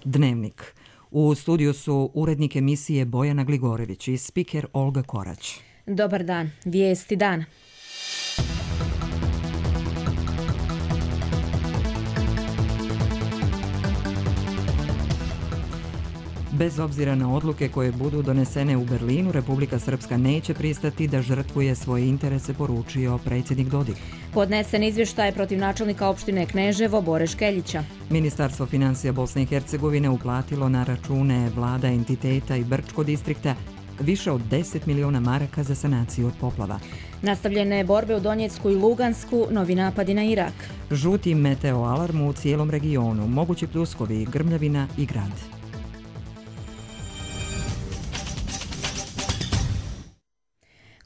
Dnevnik. U studiju su urednik emisije Bojana Gligorević i spiker Olga Korać. Dobar dan, vijesti dana. Bez obzira na odluke koje budu donesene u Berlinu, Republika Srpska neće pristati da žrtvuje svoje interese, poručio predsjednik Dodik. Podnesen izvještaj protiv načelnika opštine Kneževo Bore Škeljića. Ministarstvo financija Bosne i Hercegovine uplatilo na račune vlada entiteta i Brčko distrikta više od 10 miliona maraka za sanaciju od poplava. Nastavljene borbe u Donjecku i Lugansku, novi napadi na Irak. Žuti meteo alarm u cijelom regionu, mogući pljuskovi, grmljavina i grad.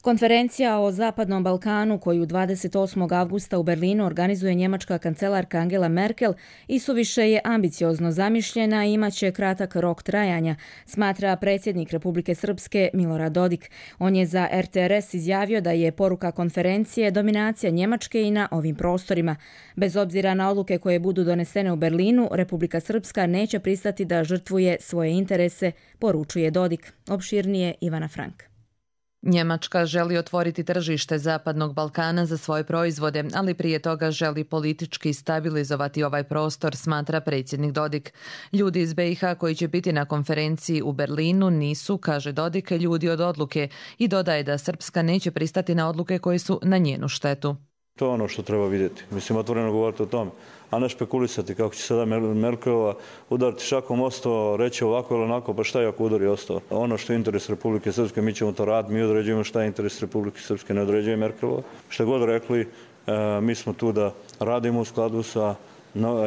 Konferencija o Zapadnom Balkanu koju 28. avgusta u Berlinu organizuje njemačka kancelarka Angela Merkel isuviše je ambiciozno zamišljena i imaće kratak rok trajanja, smatra predsjednik Republike Srpske Milorad Dodik. On je za RTRS izjavio da je poruka konferencije dominacija Njemačke i na ovim prostorima. Bez obzira na odluke koje budu donesene u Berlinu, Republika Srpska neće pristati da žrtvuje svoje interese, poručuje Dodik. Opširnije Ivana Frank. Njemačka želi otvoriti tržište Zapadnog Balkana za svoje proizvode, ali prije toga želi politički stabilizovati ovaj prostor, smatra predsjednik Dodik. Ljudi iz BiH koji će biti na konferenciji u Berlinu nisu, kaže Dodik, ljudi od odluke i dodaje da Srpska neće pristati na odluke koje su na njenu štetu. To je ono što treba vidjeti. Mislim, otvoreno govoriti o tome, a ne špekulisati kako će sada Merkelova udariti šakom ostao, reći ovako ili onako, pa šta je ako udari ostao. Ono što je interes Republike Srpske, mi ćemo to raditi, mi određujemo šta je interes Republike Srpske, ne određuje Merkelova. Šta god rekli, mi smo tu da radimo u skladu sa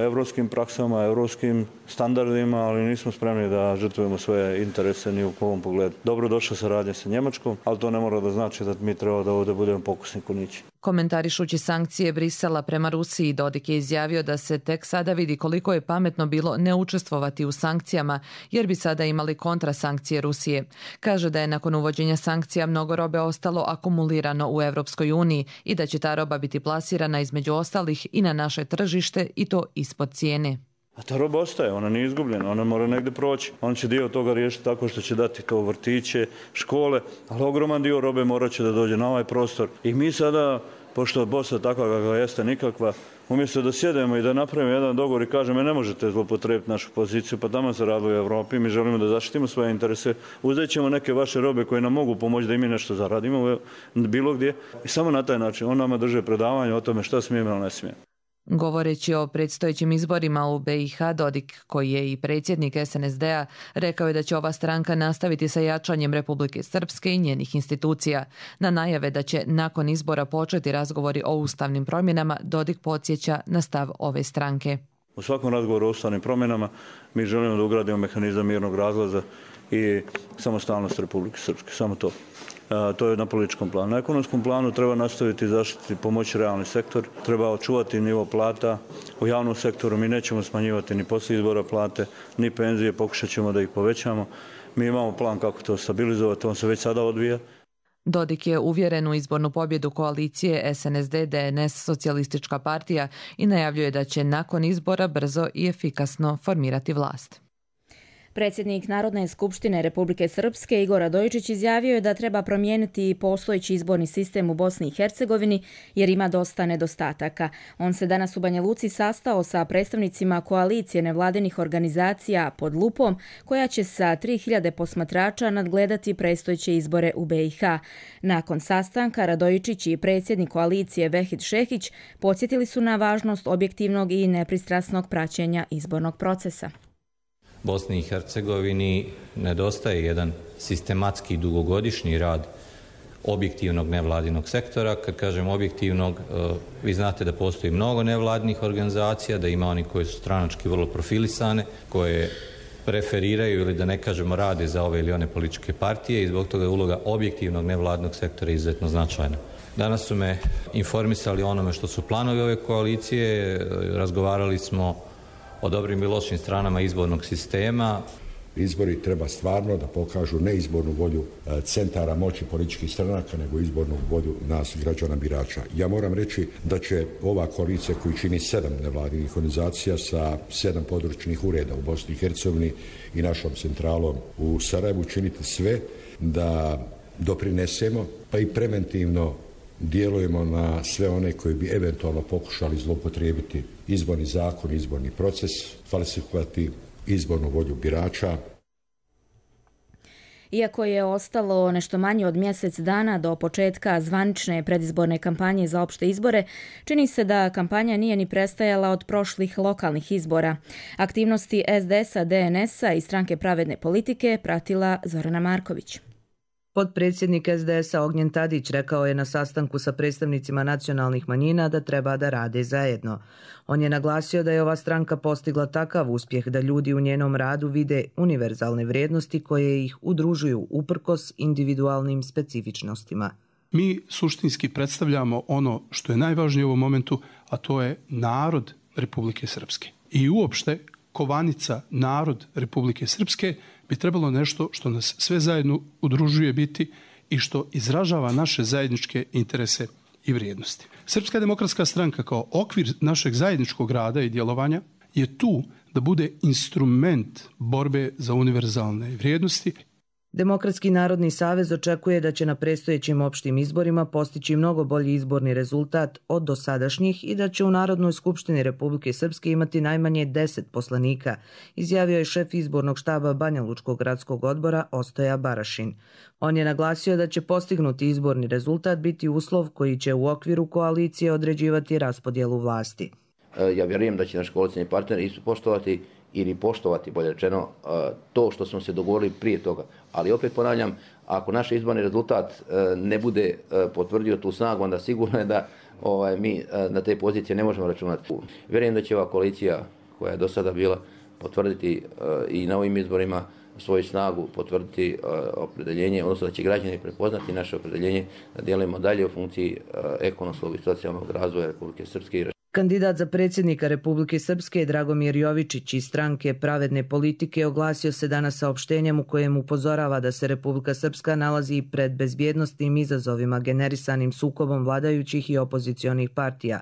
evropskim praksama, evropskim standardima, ali nismo spremni da žrtvujemo svoje interese ni u ovom pogledu. Dobro došla saradnja sa Njemačkom, ali to ne mora da znači da mi treba da ovdje budemo pokusni kunići. Komentarišući sankcije Brisela prema Rusiji, Dodik je izjavio da se tek sada vidi koliko je pametno bilo ne učestvovati u sankcijama, jer bi sada imali kontrasankcije Rusije. Kaže da je nakon uvođenja sankcija mnogo robe ostalo akumulirano u Evropskoj uniji i da će ta roba biti plasirana između ostalih i na naše tržište i to ispod cijene. A ta roba ostaje, ona nije izgubljena, ona mora negdje proći. On će dio toga riješiti tako što će dati to vrtiće, škole, ali ogroman dio robe morat će da dođe na ovaj prostor. I mi sada, pošto je Bosna takva kakva jeste nikakva, umjesto da sjedemo i da napravimo jedan dogovor i kažemo ne možete zloupotrijebiti našu poziciju, pa tamo se radi u Evropi, mi želimo da zaštitimo svoje interese, uzet ćemo neke vaše robe koje nam mogu pomoći da i mi nešto zaradimo bilo gdje. I samo na taj način on nama drže predavanje o tome šta smijemo ili ne smijemo. Govoreći o predstojećim izborima u BiH, Dodik, koji je i predsjednik SNSD-a, rekao je da će ova stranka nastaviti sa jačanjem Republike Srpske i njenih institucija. Na najave da će nakon izbora početi razgovori o ustavnim promjenama, Dodik podsjeća na stav ove stranke. U svakom razgovoru o ustavnim promjenama mi želimo da ugradimo mehanizam mirnog razlaza i samostalnost Republike Srpske, samo to. To je na političkom planu. Na ekonomskom planu treba nastaviti zaštiti, pomoći realni sektor, treba očuvati nivo plata. U javnom sektoru mi nećemo smanjivati ni poslije izbora plate, ni penzije, pokušat ćemo da ih povećamo. Mi imamo plan kako to stabilizovati, on se već sada odvija. Dodik je uvjeren u izbornu pobjedu koalicije SNSD-DNS Socijalistička partija i najavljuje da će nakon izbora brzo i efikasno formirati vlast. Predsjednik Narodne skupštine Republike Srpske Igor Radojičić izjavio je da treba promijeniti postojeći izborni sistem u Bosni i Hercegovini jer ima dosta nedostataka. On se danas u Banja Luci sastao sa predstavnicima koalicije nevladinih organizacija Pod lupom, koja će sa 3000 posmatrača nadgledati predstojeće izbore u BiH. Nakon sastanka Radojičić i predsjednik koalicije Vehid Šehić podsjetili su na važnost objektivnog i nepristrasnog praćenja izbornog procesa. Bosni i Hercegovini nedostaje jedan sistematski dugogodišnji rad objektivnog nevladinog sektora. Kad kažem objektivnog, vi znate da postoji mnogo nevladinih organizacija, da ima oni koji su stranački vrlo profilisane, koje preferiraju ili da ne kažemo rade za ove ili one političke partije i zbog toga je uloga objektivnog nevladinog sektora izuzetno značajna. Danas su me informisali o onome što su planovi ove koalicije, razgovarali smo o dobrim i lošim stranama izbornog sistema. Izbori treba stvarno da pokažu ne izbornu volju centara moći političkih stranaka, nego izbornu volju nas građana birača. Ja moram reći da će ova koalicija koju čini 7 nevladinih organizacija sa 7 područnih ureda u Bosni i Hercegovini i našom centralom u Sarajevu činiti sve da doprinesemo, pa i preventivno djelujemo na sve one koji bi eventualno pokušali zloupotrijebiti izborni zakon, izborni proces, falsifikovati izbornu volju birača. Iako je ostalo nešto manje od mjesec dana do početka zvanične predizborne kampanje za opšte izbore, čini se da kampanja nije ni prestajala od prošlih lokalnih izbora. Aktivnosti SDS-a, DNS-a i Stranke pravedne politike pratila Zorana Marković. Potpredsjednik SDS-a Ognjen Tadić rekao je na sastanku sa predstavnicima nacionalnih manjina da treba da rade zajedno. On je naglasio da je ova stranka postigla takav uspjeh da ljudi u njenom radu vide univerzalne vrijednosti koje ih udružuju uprkos individualnim specifičnostima. Mi suštinski predstavljamo ono što je najvažnije u ovom momentu, a to je narod Republike Srpske. I uopšte kovanica narod Republike Srpske bi trebalo nešto što nas sve zajedno udružuje biti i što izražava naše zajedničke interese i vrijednosti. Srpska demokratska stranka kao okvir našeg zajedničkog rada i djelovanja je tu da bude instrument borbe za univerzalne vrijednosti. Demokratski narodni savez očekuje da će na predstojećim opštim izborima postići mnogo bolji izborni rezultat od dosadašnjih i da će u Narodnoj skupštini Republike Srpske imati najmanje 10 poslanika, izjavio je šef izbornog štaba Banjalučkog gradskog odbora Ostoja Barašin. On je naglasio da će postignuti izborni rezultat biti uslov koji će u okviru koalicije određivati raspodjelu vlasti. Ja vjerujem da će naš koalicijni partner poštovati ili poštovati, bolje rečeno, to što smo se dogovorili prije toga. Ali opet ponavljam, ako naš izborni rezultat ne bude potvrdio tu snagu, onda sigurno je da mi na te pozicije ne možemo računati. Vjerujem da će ova koalicija koja je do sada bila potvrditi i na ovim izborima svoju snagu, potvrditi opredeljenje, odnosno da će građani prepoznati naše opredeljenje da djelujemo dalje u funkciji ekonomskog i socijalnog razvoja Republike Srpske. Kandidat za predsjednika Republike Srpske Dragomir Jovičić iz Stranke pravedne politike oglasio se danas saopštenjem u kojem upozorava da se Republika Srpska nalazi pred bezbjednosnim izazovima generisanim sukobom vladajućih i opozicionih partija.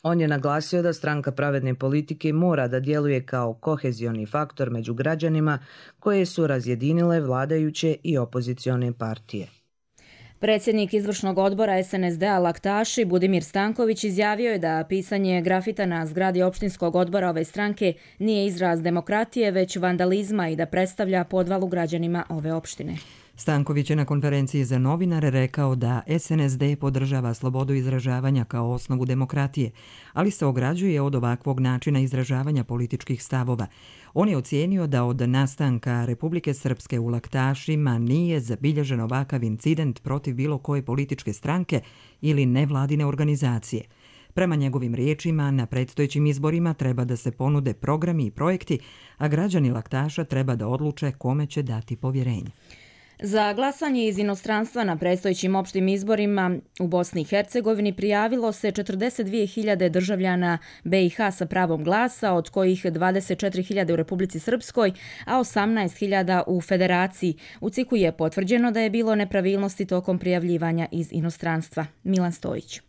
On je naglasio da Stranka pravedne politike mora da djeluje kao kohezioni faktor među građanima koje su razjedinile vladajuće i opozicione partije. Predsjednik izvršnog odbora SNSD-a Laktaši Budimir Stanković izjavio je da pisanje grafita na zgradi opštinskog odbora ove stranke nije izraz demokratije, već vandalizma i da predstavlja podvalu građanima ove opštine. Stanković je na konferenciji za novinare rekao da SNSD podržava slobodu izražavanja kao osnovu demokratije, ali se ograđuje od ovakvog načina izražavanja političkih stavova. On je ocijenio da od nastanka Republike Srpske u Laktašima nije zabilježen ovakav incident protiv bilo koje političke stranke ili nevladine organizacije. Prema njegovim riječima, na predstojećim izborima treba da se ponude programi i projekti, a građani Laktaša treba da odluče kome će dati povjerenje. Za glasanje iz inostranstva na predstojećim opštim izborima u Bosni i Hercegovini prijavilo se 42.000 državljana BiH sa pravom glasa, od kojih 24.000 u Republici Srpskoj, a 18.000 u Federaciji. U CIK-u je potvrđeno da je bilo nepravilnosti tokom prijavljivanja iz inostranstva. Milan Stojić.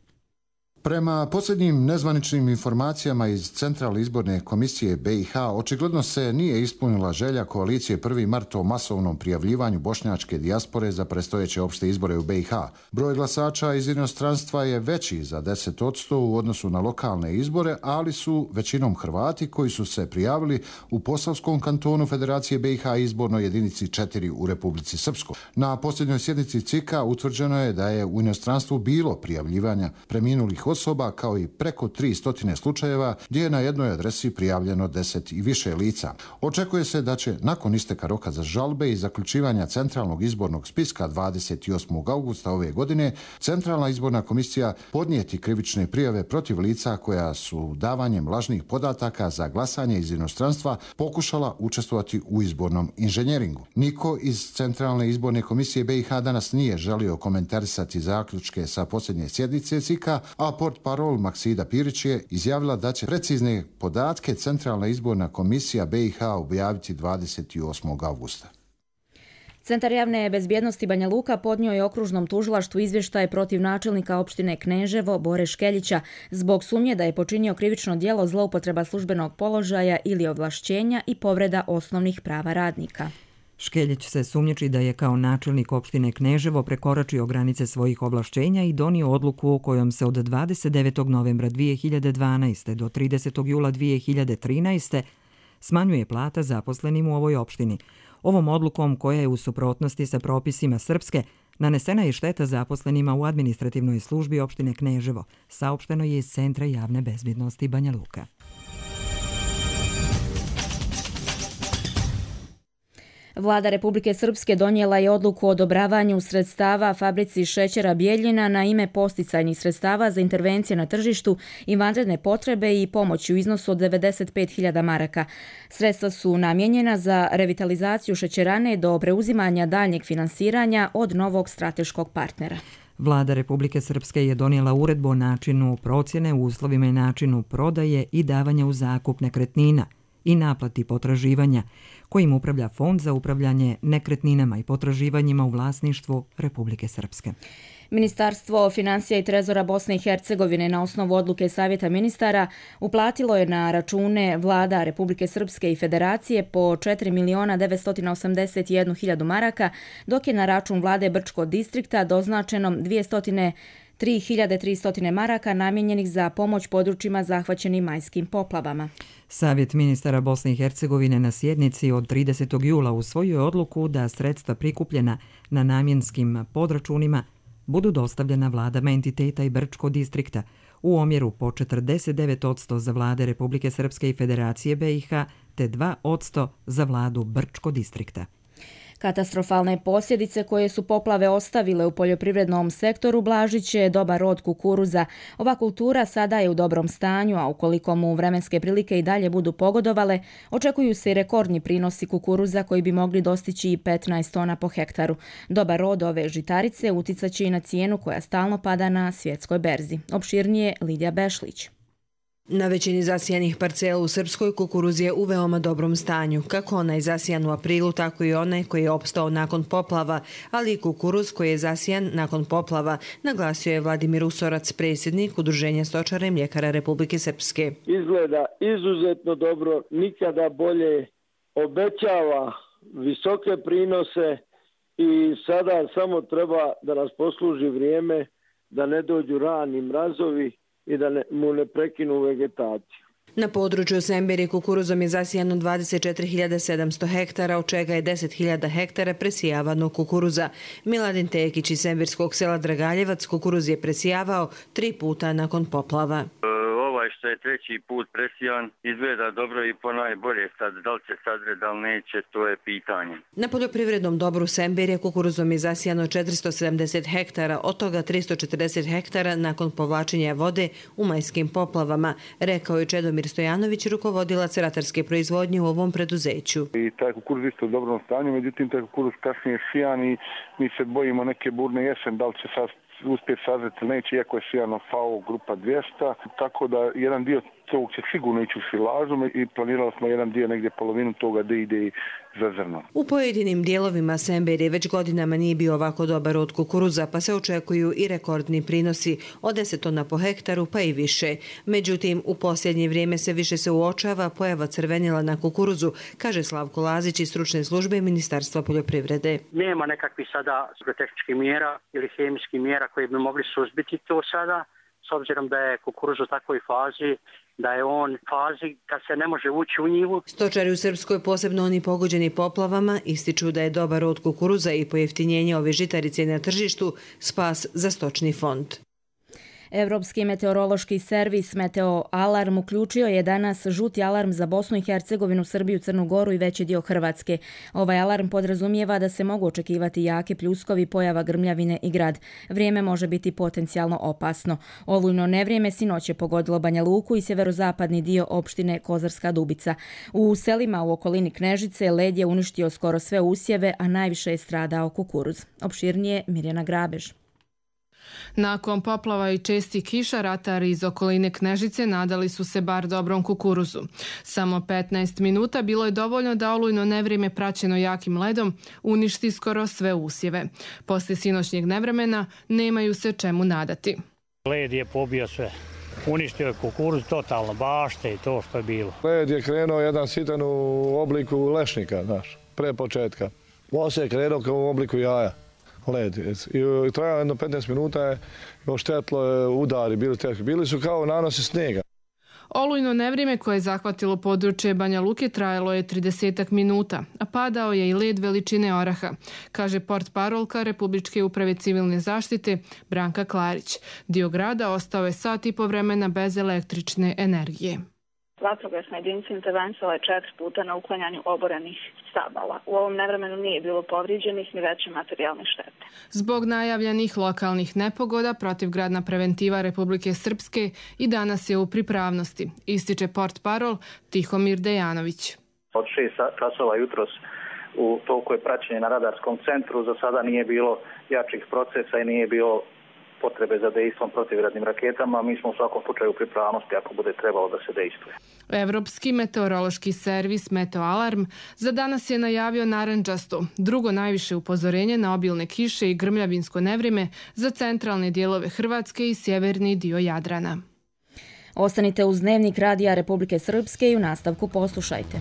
Prema posljednjim nezvaničnim informacijama iz Centralne izborne komisije BiH, očigledno se nije ispunila želja koalicije 1. mart o masovnom prijavljivanju bošnjačke dijaspore za predstojeće opšte izbore u BiH. Broj glasača iz inostranstva je veći za 10% u odnosu na lokalne izbore, ali su većinom Hrvati koji su se prijavili u Posavskom kantonu Federacije BiH izbornoj jedinici 4 u Republici Srpskoj. Na posljednjoj sjednici CIK-a utvrđeno je da je u inostranstvu bilo prijavljivanja preminulih osoba kao i preko 300 slučajeva gdje je na jednoj adresi prijavljeno 10 i više lica. Očekuje se da će nakon isteka roka za žalbe i zaključivanja centralnog izbornog spiska 28. augusta ove godine Centralna izborna komisija podnijeti krivične prijave protiv lica koja su davanjem lažnih podataka za glasanje iz inostranstva pokušala učestvovati u izbornom inženjeringu. Niko iz Centralne izborne komisije BiH danas nije želio komentarisati zaključke sa posljednje sjednice CIK-a, a portparol Maksida Pirić je izjavila da će precizne podatke Centralna izborna komisija BiH objaviti 28. augusta. Centar javne bezbjednosti Banja Luka podnio je okružnom tužilaštvu izvještaj protiv načelnika opštine Kneževo Bore Škeljića zbog sumnje da je počinio krivično djelo zloupotreba službenog položaja ili ovlašćenja i povreda osnovnih prava radnika. Škeljić se sumnjiči da je kao načelnik opštine Kneževo prekoračio granice svojih ovlašćenja i donio odluku kojom se od 29. novembra 2012. do 30. jula 2013. smanjuje plata zaposlenim u ovoj opštini. Ovom odlukom, koja je u suprotnosti sa propisima Srpske, nanesena je šteta zaposlenima u administrativnoj službi opštine Kneževo, saopšteno je iz Centra javne bezbjednosti Banja Luka. Vlada Republike Srpske donijela je odluku o odobravanju sredstava fabrici šećera Bijeljina na ime posticajnih sredstava za intervencije na tržištu i vanredne potrebe i pomoć u iznosu od 95.000 maraka. Sredstva su namijenjena za revitalizaciju šećerane do preuzimanja daljnjeg finansiranja od novog strateškog partnera. Vlada Republike Srpske je donijela uredbu o načinu procjene, uslovima i načinu prodaje i davanja u zakup nekretnina i naplati potraživanja, kojim upravlja Fond za upravljanje nekretninama i potraživanjima u vlasništvu Republike Srpske. Ministarstvo financija i trezora Bosne i Hercegovine na osnovu odluke Savjeta ministara uplatilo je na račune vlada Republike Srpske i Federacije po 4.981.000 maraka, dok je na račun vlade Brčkog distrikta doznačeno 203.300 maraka namijenjenih za pomoć područjima zahvaćenim majskim poplavama. Savjet ministara Bosne i Hercegovine na sjednici od 30. jula usvojio je odluku da sredstva prikupljena na namjenskim podračunima budu dostavljena vladama entiteta i Brčkog distrikta u omjeru po 49% za vlade Republike Srpske i Federacije BiH te 2% za vladu Brčkog distrikta. Katastrofalne posljedice koje su poplave ostavile u poljoprivrednom sektoru blažit će dobar rod kukuruza. Ova kultura sada je u dobrom stanju, a ukoliko mu vremenske prilike i dalje budu pogodovale, očekuju se i rekordni prinosi kukuruza koji bi mogli dostići i 15 tona po hektaru. Dobar rod ove žitarice uticat će i na cijenu koja stalno pada na svjetskoj berzi. Opširnije Lidija Bešlić. Na većini zasijanih parcela u Srpskoj kukuruz je u veoma dobrom stanju, kako onaj zasijan u aprilu, tako i onaj koji je opstao nakon poplava, ali i kukuruz koji je zasijan nakon poplava, naglasio je Vladimir Usorac, predsjednik Udruženja stočara i mljekara Republike Srpske. Izgleda izuzetno dobro, nikada bolje, obećava visoke prinose i sada samo treba da nas posluži vrijeme da ne dođu rani mrazovi i da mu ne prekinu vegetaciju. Na području Semberije kukuruzom je zasijano 24.700 hektara, od čega je 10.000 hektara presijavano kukuruza. Miladin Tekić iz semberskog sela Dragaljevac kukuruz je presijavao 3 puta nakon poplava. Što je treći put presijan, izgleda dobro i ponajbolje. Sad, da li će sadre, da li neće, to je pitanje. Na poljoprivrednom dobru Semberije kukuruzom je zasijano 470 hektara, od toga 340 hektara nakon povlačenja vode u majskim poplavama, rekao je Čedomir Stojanović, rukovodilac ratarske proizvodnje u ovom preduzeću. I taj kukuruz isto u dobrom stanju, međutim taj kukuruz kasnije sijan i mi se bojimo neke burne jesen, da li će sad uspjeti sazreti ili neće, iako je sijano FAO grupa 200, tako da jedan dio tog će sigurno ići u silažu i planirali smo jedan dio, negdje polovinu toga da ide i za zrno. U pojedinim dijelovima Semberije već godinama nije bio ovako dobar rod kukuruza, pa se očekuju i rekordni prinosi od 10 tona po hektaru pa i više. Međutim, u posljednje vrijeme se više se uočava pojava crvenila na kukuruzu, kaže Slavko Lazić iz stručne službe Ministarstva poljoprivrede. Nema nekakvih sada agrotehničkih mjera ili hemijskih mjera koji bi mogli suzbiti to sada, s obzirom da je kukuruz u takvoj fazi, da je on fazi kad se ne može ući u njivu. Stočari u Srpskoj, posebno oni pogođeni poplavama, ističu da je dobar rod kukuruza i pojeftinjenje ove žitarice na tržištu spas za stočni fond. Evropski meteorološki servis Meteo Alarm uključio je danas žuti alarm za Bosnu i Hercegovinu, Srbiju, Crnu Goru i veći dio Hrvatske. Ovaj alarm podrazumijeva da se mogu očekivati jake pljuskovi, pojava grmljavine i grad. Vrijeme može biti potencijalno opasno. Olujno nevrijeme sinoć je pogodilo Banja Luku i sjeverozapadni dio opštine Kozarska Dubica. U selima u okolini Knežice led je uništio skoro sve usjeve, a najviše je stradao kukuruz. Opširnije Mirjana Grabež. Nakon poplava i čestih kiša, ratari iz okoline Knežice nadali su se bar dobrom kukuruzu. Samo 15 minuta bilo je dovoljno da olujno nevrijeme praćeno jakim ledom uništi skoro sve usjeve. Poslije sinoćnjeg nevremena nemaju se čemu nadati. Led je pobio sve. Uništio je kukuruz totalno, bašte i to što je bilo. Led je krenuo jedan sitan u obliku lešnika, znaš, pre početka. Poslije je krenuo kao u obliku jaja. Led. I trajalo jedno 15 minuta je oštetilo je udari, bili su kao nanosi snijega. Olujno nevrijeme koje je zahvatilo područje Banja Luke trajalo je 30 minuta, a padao je i led veličine oraha, kaže portparolka Republičke uprave civilne zaštite Branka Klarić. Dio grada ostao je sat i po vremena bez električne energije. Vatrogasna jedinica intervenisala je 4 puta na uklanjanju oborenih stabala. U ovom nevremenu nije bilo povrijeđenih ni veće materijalne štete. Zbog najavljenih lokalnih nepogoda protivgradna preventiva Republike Srpske i danas je u pripravnosti, ističe portparol Tihomir Dejanović. Od 6 časova jutros u toliko je praćenje na radarskom centru, za sada nije bilo jačih procesa i nije bilo potrebe za dejstvom protivgradnim raketama. Mi smo u svakom slučaju u pripravnosti ako bude trebalo da se dejstvuje. Evropski meteorološki servis Meteoalarm za danas je najavio narandžasto, drugo najviše upozorenje na obilne kiše i grmljavinsko nevrijeme za centralne dijelove Hrvatske i sjeverni dio Jadrana. Ostanite uz Dnevnik Radija Republike Srpske i u nastavku poslušajte.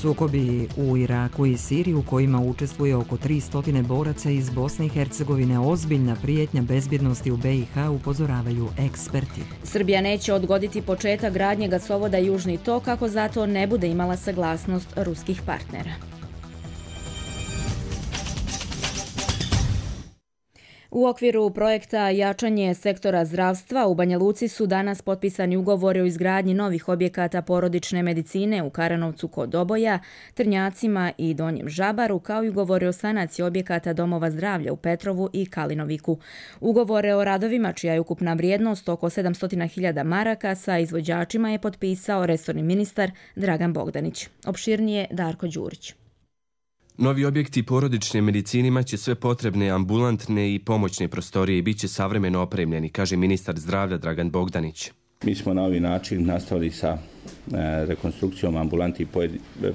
Sukobi u Iraku i Siriji u kojima učestvuje oko 300 boraca iz Bosne i Hercegovine ozbiljna prijetnja bezbjednosti u BiH, upozoravaju eksperti. Srbija neće odgoditi početak gradnje gasovoda Južni tok ako zato ne bude imala saglasnost ruskih partnera. U okviru projekta Jačanje sektora zdravstva u Banja Luci su danas potpisani ugovori o izgradnji novih objekata porodične medicine u Karanovcu kod Doboja, Trnjacima i Donjem Žabaru, kao i ugovori o sanaciji objekata domova zdravlja u Petrovu i Kalinoviku. Ugovore o radovima, čija je ukupna vrijednost oko 700.000 maraka, sa izvođačima je potpisao resorni ministar Dragan Bogdanić. Opširnije Darko Đurić. Novi objekti porodične medicine imaće sve potrebne ambulantne i pomoćne prostorije i bit će savremeno opremljeni, kaže ministar zdravlja Dragan Bogdanić. Mi smo na ovaj način nastavili sa rekonstrukcijom ambulanti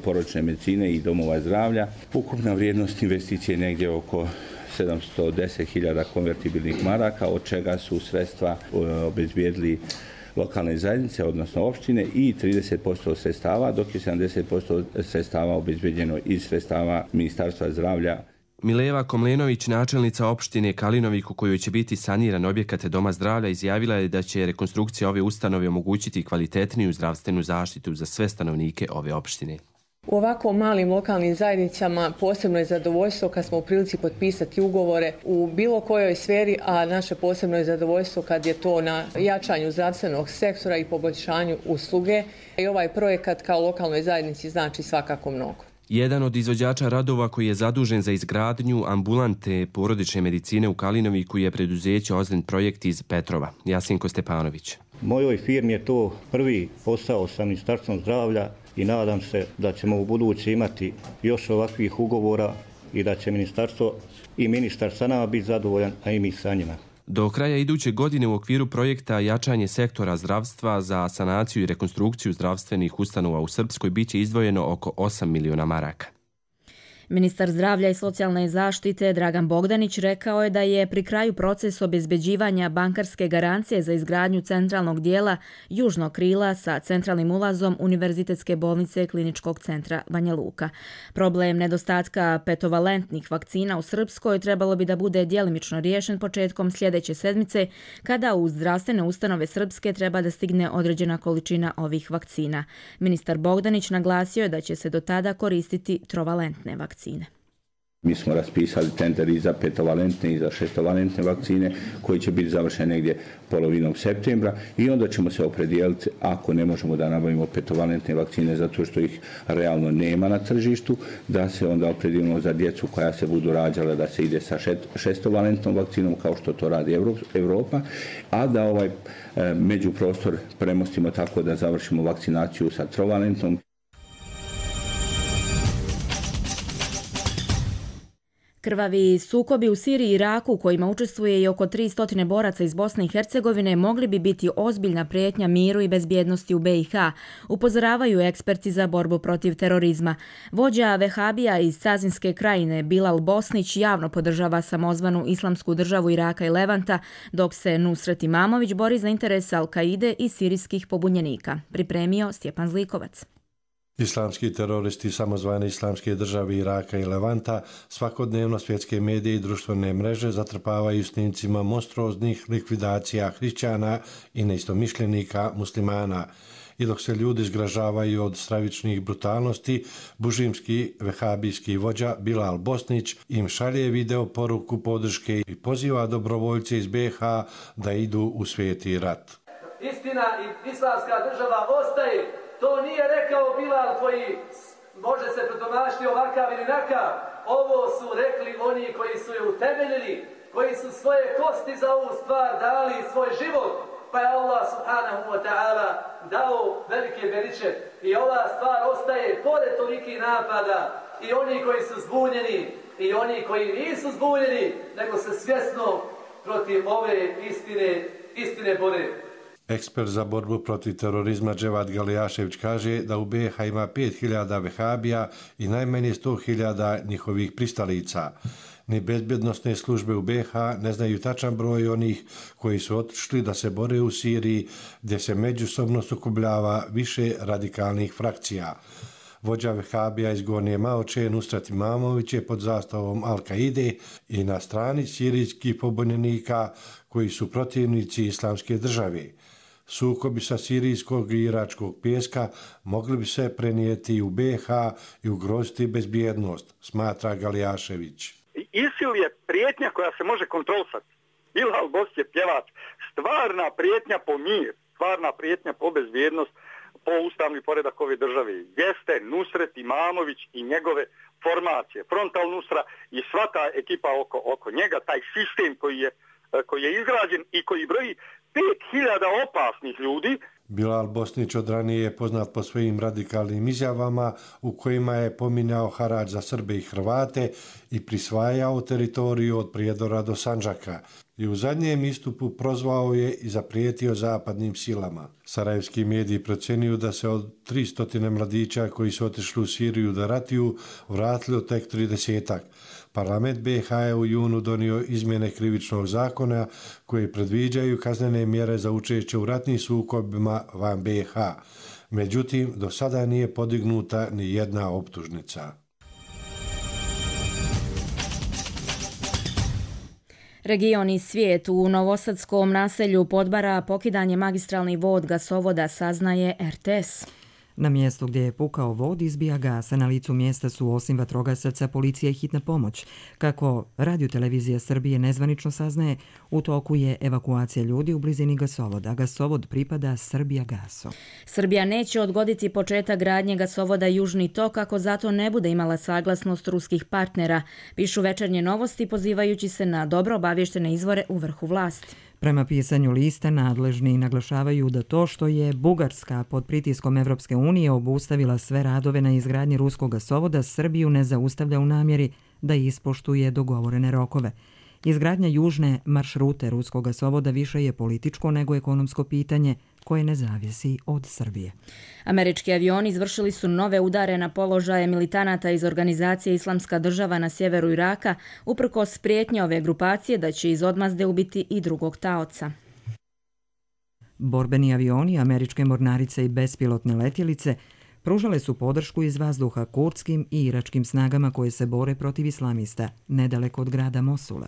porodične medicine i domova zdravlja. Ukupna vrijednost investicije je negdje oko 710.000 konvertibilnih maraka, od čega su sredstva obezbijedili lokalne zajednice, odnosno opštine, i 30% sredstava, dok je 70% sredstava obezbeđeno iz sredstava Ministarstva zdravlja. Mileva Komlenović, načelnica opštine Kalinoviku, u kojoj će biti saniran objekat doma zdravlja, izjavila je da će rekonstrukcija ove ustanove omogućiti kvalitetniju zdravstvenu zaštitu za sve stanovnike ove opštine. U ovako malim lokalnim zajednicama posebno je zadovoljstvo kad smo u prilici potpisati ugovore u bilo kojoj sferi, a naše posebno je zadovoljstvo kad je to na jačanju zdravstvenog sektora i poboljšanju usluge. I ovaj projekat kao lokalnoj zajednici znači svakako mnogo. Jedan od izvođača radova koji je zadužen za izgradnju ambulante porodične medicine u Kalinoviku je preduzeće Ozren projekt iz Petrova. Jasinko Stepanović. Mojoj firmi je to prvi posao sa Ministarstvom zdravlja i nadam se da ćemo u budući imati još ovakvih ugovora i da će ministarstvo i ministar sa nama biti zadovoljan, a i mi sa njima. Do kraja iduće godine u okviru projekta Jačanje sektora zdravstva za sanaciju i rekonstrukciju zdravstvenih ustanova u Srpskoj biće izdvojeno oko 8 miliona maraka. Ministar zdravlja i socijalne zaštite Dragan Bogdanić rekao je da je pri kraju proces obezbeđivanja bankarske garancije za izgradnju centralnog dijela južnog krila sa centralnim ulazom Univerzitetske bolnice Kliničkog centra Banja Luka. Problem nedostatka petovalentnih vakcina u Srpskoj trebalo bi da bude djelimično riješen početkom sljedeće sedmice, kada u zdravstvene ustanove Srpske treba da stigne određena količina ovih vakcina. Ministar Bogdanić naglasio je da će se do tada koristiti trovalentne vakcine. Mi smo raspisali tender i za petovalentne i za šestovalentne vakcine koji će biti završene negdje polovinom septembra i onda ćemo se opredijeliti, ako ne možemo da nabavimo petovalentne vakcine zato što ih realno nema na tržištu, da se onda opredijelimo za djecu koja se budu rađala da se ide sa šestovalentnom vakcinom kao što to radi Europa, a da ovaj međuprostor premostimo tako da završimo vakcinaciju sa trovalentnom. Krvavi sukobi u Siriji i Iraku, u kojima učestvuje i oko 300 boraca iz Bosne i Hercegovine, mogli bi biti ozbiljna prijetnja miru i bezbjednosti u BiH, upozoravaju eksperti za borbu protiv terorizma. Vođa vehabija iz Cazinske krajine Bilal Bosnić javno podržava samozvanu Islamsku državu Iraka i Levanta, dok se Nusret Imamović bori za interese Al-Kaide i sirijskih pobunjenika. Pripremio Stjepan Zlikovac. Islamski teroristi samozvane Islamske države Iraka i Levanta svakodnevno svjetske medije i društvene mreže zatrpavaju snimcima monstruoznih likvidacija hrišćana i neistomišljenika muslimana. I dok se ljudi zgražavaju od stravičnih brutalnosti, bužimski vehabijski vođa Bilal Bosnić im šalje video poruku podrške i poziva dobrovoljce iz BiH da idu u sveti rat. Istina i Islamska država ostaje. To nije rekao Bilal koji može se protumačiti ovakav ili nakav. Ovo su rekli oni koji su je utemeljili, koji su svoje kosti za ovu stvar dali, svoj život. Pa je Allah subhanahu wa ta'ala dao velike beriče. I ova stvar ostaje pored toliki napada i oni koji su zbunjeni i oni koji nisu zbunjeni, nego se svjesno protiv ove istine bore. Ekspert za borbu protiv terorizma Dževad Galijašević kaže da u BiH ima 5000 vehabija i najmanje 100.000 njihovih pristalica. Ni bezbjednosne službe u BiH ne znaju tačan broj onih koji su otišli da se bore u Siriji, gdje se međusobno sukobljava više radikalnih frakcija. Vođa vehabija iz Gornje Maoče Nusret Imamović je pod zastavom Al-Kaide i na strani sirijskih pobunjenika koji su protivnici Islamske države. Sukobi sa sirijskog i iračkog pijeska mogli bi se prenijeti u BiH i ugroziti bezbjednost, smatra Galijašević. ISIL je prijetnja koja se može kontrolisati. Bilal Bosnić je pjevač. Stvarna prijetnja po mir, stvarna prijetnja po bezbjednost, po ustavni poredak ove države jeste Nusret Imamović i njegove formacije, Frontal Nusra i sva ta ekipa oko njega, taj sistem koji je izgrađen i koji broji 5000 opasnih ljudi. Bilal Bosnić od ranije je poznat po svojim radikalnim izjavama u kojima je pominjao harač za Srbe i Hrvate i prisvajao teritoriju od Prijedora do Sandžaka. I u zadnjem istupu prozvao je i zaprijetio zapadnim silama. Sarajevski mediji procjenjuju da se od 300 mladića koji su otišli u Siriju da ratuju vratili tek 30-ak. Parlament BiH je u junu donio izmjene krivičnog zakona koje predviđaju kaznene mjere za učešće u ratnim sukobima van BiH. Međutim, do sada nije podignuta ni jedna optužnica. Region i svijet u novosadskom naselju Podbara pokidanje magistralnih vod gasovoda, saznaje RTS. Na mjestu gdje je pukao vod izbija gas, a na licu mjesta su osim vatrogasaca policija i hitna pomoć. Kako Radio-televizija Srbije nezvanično saznaje, u toku je evakuacija ljudi u blizini gasovoda. Gasovod pripada Srbijagasu. Srbija neće odgoditi početak gradnje gasovoda Južni tok ako zato ne bude imala saglasnost ruskih partnera, pišu Večernje novosti pozivajući se na dobro obavještene izvore u vrhu vlasti. Prema pisanju lista, nadležni naglašavaju da to što je Bugarska pod pritiskom Evropske unije obustavila sve radove na izgradnji ruskog gasovoda, Srbiju ne zaustavlja u namjeri da ispoštuje dogovorene rokove. Izgradnja južne maršrute ruskog gasovoda više je političko nego ekonomsko pitanje koje ne zavisi od Srbije. Američki avioni izvršili su nove udare na položaje militanata iz organizacije Islamska država na sjeveru Iraka, uprkos prijetnje ove grupacije da će iz odmazde ubiti i drugog taoca. Borbeni avioni, američke mornarice i bespilotne letjelice pružale su podršku iz vazduha kurdskim i iračkim snagama koje se bore protiv islamista, nedaleko od grada Mosula.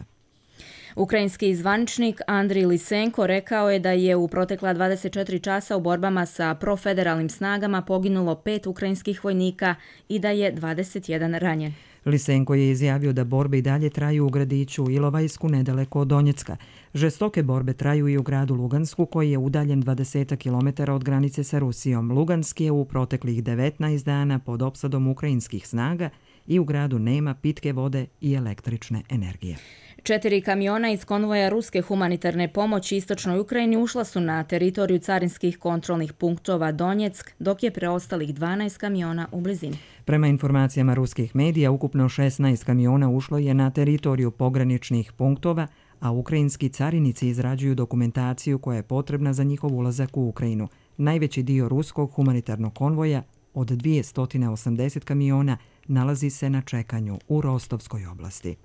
Ukrajinski zvaničnik Andrij Lisenko rekao je da je u protekla 24 časa u borbama sa profederalnim snagama poginulo 5 ukrajinskih vojnika i da je 21 ranjen. Lisenko je izjavio da borbe i dalje traju u gradiću Ilovajsku nedaleko od Donjecka. Žestoke borbe traju i u gradu Lugansku koji je udaljen 20 km od granice sa Rusijom. Lugansk je u proteklih 19 dana pod opsadom ukrajinskih snaga i u gradu nema pitke vode i električne energije. 4 kamiona iz konvoja ruske humanitarne pomoći istočnoj Ukrajini ušla su na teritoriju carinskih kontrolnih punktova Donjeck, dok je preostalih 12 kamiona u blizini. Prema informacijama ruskih medija, ukupno 16 kamiona ušlo je na teritoriju pograničnih punktova, a ukrajinski carinici izrađuju dokumentaciju koja je potrebna za njihov ulazak u Ukrajinu. Najveći dio ruskog humanitarnog konvoja od 280 kamiona nalazi se na čekanju u Rostovskoj oblasti.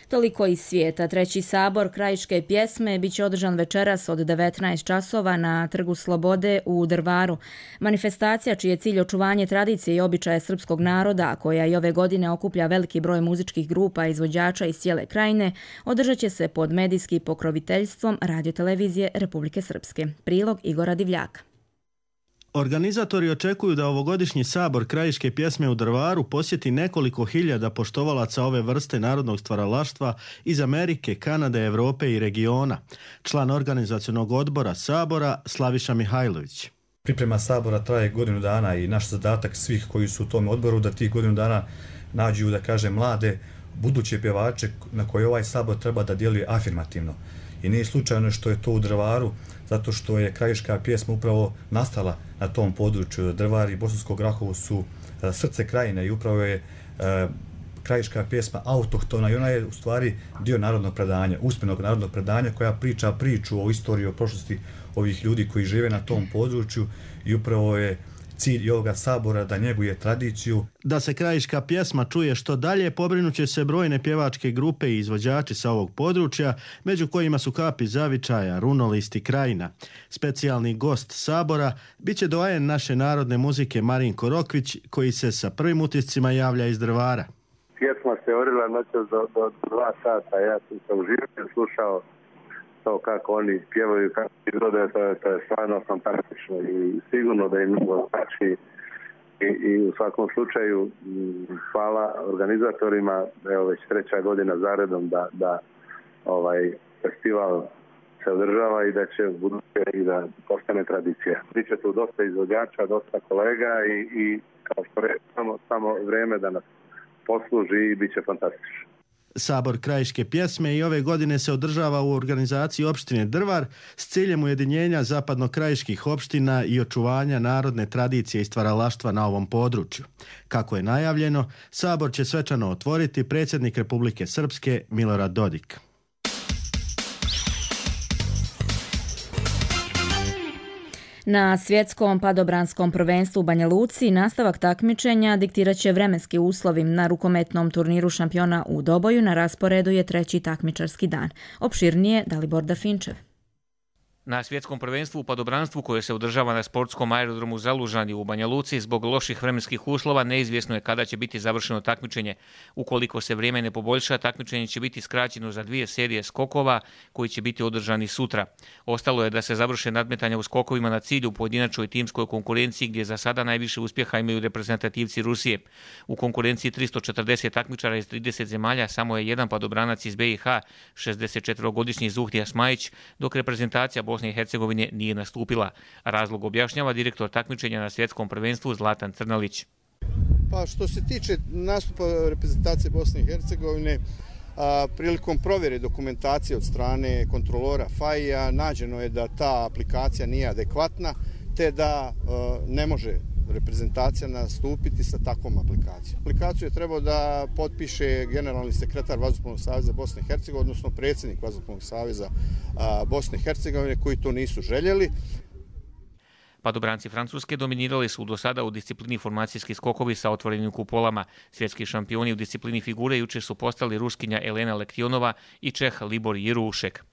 Toliko iz svijeta. 3. sabor krajiške pjesme biće održan večeras od 19 časova na Trgu Slobode u Drvaru. Manifestacija, čiji je cilj očuvanje tradicije i običaja srpskog naroda, koja i ove godine okuplja veliki broj muzičkih grupa i izvođača iz cijele krajine, održat će se pod medijskim pokroviteljstvom Radiotelevizije Republike Srpske. Prilog Igora Divljaka. Organizatori očekuju da ovogodišnji sabor krajiške pjesme u Drvaru posjeti nekoliko hiljada poštovalaca ove vrste narodnog stvaralaštva iz Amerike, Kanade, Europe i regiona. Član organizacionog odbora sabora Slaviša Mihajlović. Priprema sabora traje godinu dana i naš zadatak svih koji su u tom odboru da tih godinu dana nađu, da kažem, mlade buduće pjevače na koje ovaj sabor treba da djeluje afirmativno. I nije slučajno što je to u Drvaru, zato što je krajiška pjesma upravo nastala na tom području. Drvar i Bosansko Grahovo su srce krajine i upravo je krajiška pjesma autohtona i ona je u stvari dio narodnog predanja, usmenog narodnog predanja koja priča priču o istoriji, o prošlosti ovih ljudi koji žive na tom području i upravo je cilj ovoga sabora da njeguje tradiciju. Da se krajiška pjesma čuje što dalje, pobrinuće se brojne pjevačke grupe i izvođači sa ovog područja, među kojima su Kapi Zavičaja, Runolist i Krajina. Specijalni gost sabora biće doajen naše narodne muzike Marinko Rokvić, koji se sa prvim utiscima javlja iz Drvara. Pjesma se orila noćas do 2 sata, ja sam se uživio slušao to kako oni pjevaju, kako izgleda, to je stvarno fantastično i sigurno da im mnogo znači i u svakom slučaju hvala organizatorima, evo već 3. godina zaredom da festival se održava i da će buduće i da postane tradicija. Biće tu dosta izvođača, dosta kolega i kao što samo vreme da nas posluži i bit će fantastično. Sabor krajiške pjesme i ove godine se održava u organizaciji opštine Drvar s ciljem ujedinjenja zapadno-krajiških opština i očuvanja narodne tradicije i stvaralaštva na ovom području. Kako je najavljeno, sabor će svečano otvoriti predsjednik Republike Srpske Milorad Dodik. Na svjetskom padobranskom prvenstvu u Banja Luci nastavak takmičenja diktirat će vremenski uslovi. Na rukometnom turniru šampiona u Doboju na rasporedu je 3. takmičarski dan. Opširnije Dalibor Dafinčev. Na svjetskom prvenstvu u padobranstvu koje se održava na sportskom aerodromu Zalužani u Banja Luci zbog loših vremenskih uslova neizvjesno je kada će biti završeno takmičenje. Ukoliko se vrijeme ne poboljša, takmičenje će biti skraćeno za 2 serije skokova koji će biti održani sutra. Ostalo je da se završe nadmetanja u skokovima na cilju u pojedinačnoj timskoj konkurenciji gdje za sada najviše uspjeha imaju reprezentativci Rusije. U konkurenciji 340 takmičara iz 30 zemalja samo je jedan padobranac iz BiH, 64-godišnji Zuhdija Smajić, dok reprezentacija Bosne i Hercegovine nije nastupila. Razlog objašnjava direktor takmičenja na svjetskom prvenstvu Zlatan Crnalić. Pa što se tiče nastupa reprezentacije Bosne i Hercegovine, prilikom provjere dokumentacije od strane kontrolora FAI-a nađeno je da ta aplikacija nije adekvatna, te da ne može reprezentacija nastupiti sa takvom aplikacijom. Aplikaciju je trebao da potpiše generalni sekretar Vazduhoplovnog saveza Bosne i Hercegovine, odnosno predsjednik Vazduhoplovnog saveza Bosne i Hercegovine, koji to nisu željeli. Padobranci Francuske dominirali su do sada u disciplini formacijski skokovi sa otvorenim kupolama. Svjetski šampioni u disciplini figure jučer su postali Ruskinja Elena Lektionova i Čeh Libor Jirušek.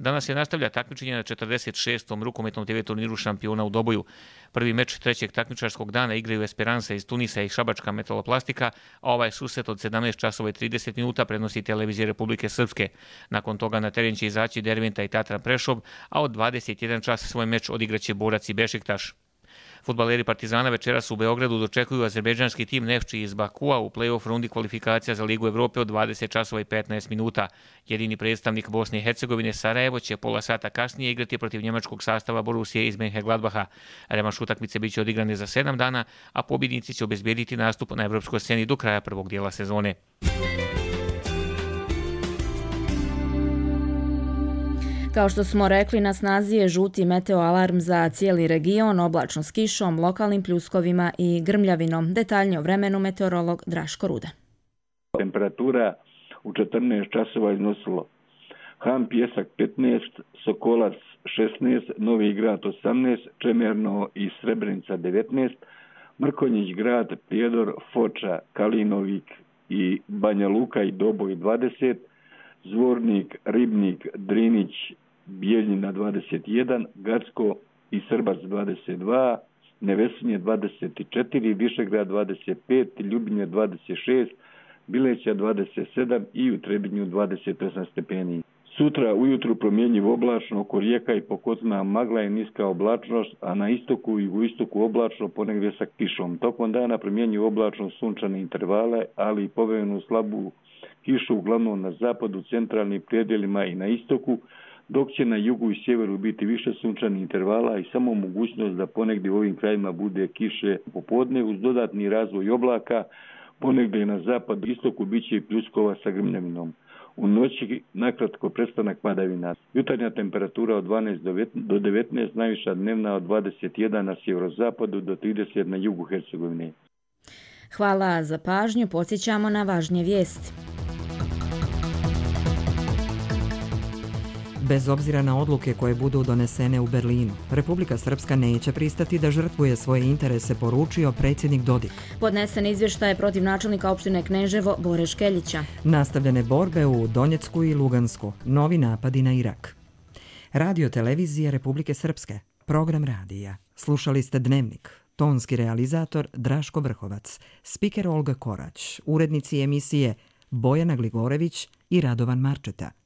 Danas se nastavlja takmičenje na 46. rukometnom TV turniru šampiona u Doboju. Prvi meč 3. takmičarskog dana igraju Esperanza iz Tunisa i Šabačka Metaloplastika, a ovaj susret od 17 časova i 30 minuta prenosi Televizija Republike Srpske. Nakon toga na teren će izaći Derventa i Tatran Prešov, a od 21 čas svoj meč odigraće Borac i Bešiktaš. Fudbaleri Partizana večeras u Beogradu dočekuju azerbejdžanski tim Nefči iz Bakua u play-off rundi kvalifikacija za Ligu Evrope od 20 časova i 15 minuta. Jedini predstavnik Bosne i Hercegovine Sarajevo će pola sata kasnije igrati protiv njemačkog sastava Borusije iz Mönchengladbacha. Revanš utakmice biće odigrane za 7 dana, a pobjednici će obezbediti nastup na evropskoj sceni do kraja prvog dijela sezone. Kao što smo rekli, na snazi je žuti meteoalarm za cijeli region, oblačno s kišom, lokalnim pljuskovima i grmljavinom. Detaljnije o vremenu meteorolog Draško Ruda. Temperatura u 14 časova iznosilo Ham Pjesak 15, Sokolac 16, Novi Grad 18, Čemerno i Srebrenica 19, Mrkonjić Grad, Prijedor, Foča, Kalinovik i Banja Luka i Doboj 20, Zvornik, Ribnik, Drinić, Bijeljina 21, Gacko i Srbac 22, Nevesinje 24, Višegrad 25, Ljubinje 26, Bileća 27 i u Trebinju 28 stepeni. Sutra ujutru promjenjivo oblačno, oko rijeka i pokozna magla i niska oblačnost, a na istoku i jugoistoku oblačno ponegdje sa kišom. Tokom dana promjenjivo oblačno sunčane intervale, ali i povremenu slabu kišu uglavnom na zapadu, centralnim predjelima i na istoku, dok će na jugu i sjeveru biti više sunčanih intervala i samo mogućnost da ponegdje u ovim krajima bude kiše popodne uz dodatni razvoj oblaka, ponegdje na zapadu i istoku bit će i pljuskova sa grmljavinom. U noći nakratko prestanak padavina. Jutarnja temperatura od 12 do 19, najviša dnevna od 21 na sjeverozapadu do 30 na jugu Hercegovine. Hvala za pažnju, podsjećamo na važnije vijesti. Bez obzira na odluke koje budu donesene u Berlinu, Republika Srpska neće pristati da žrtvuje svoje interese, poručio predsjednik Dodik. Podnesen izvještaj protiv načelnika opštine Kneževo Bore Škeljića. Nastavljene borbe u Donjecku i Lugansku, novi napadi na Irak. Radio televizije Republike Srpske, program radija. Slušali ste Dnevnik, tonski realizator Draško Vrhovac, spiker Olga Korać, urednici emisije Bojana Gligorević i Radovan Marčeta.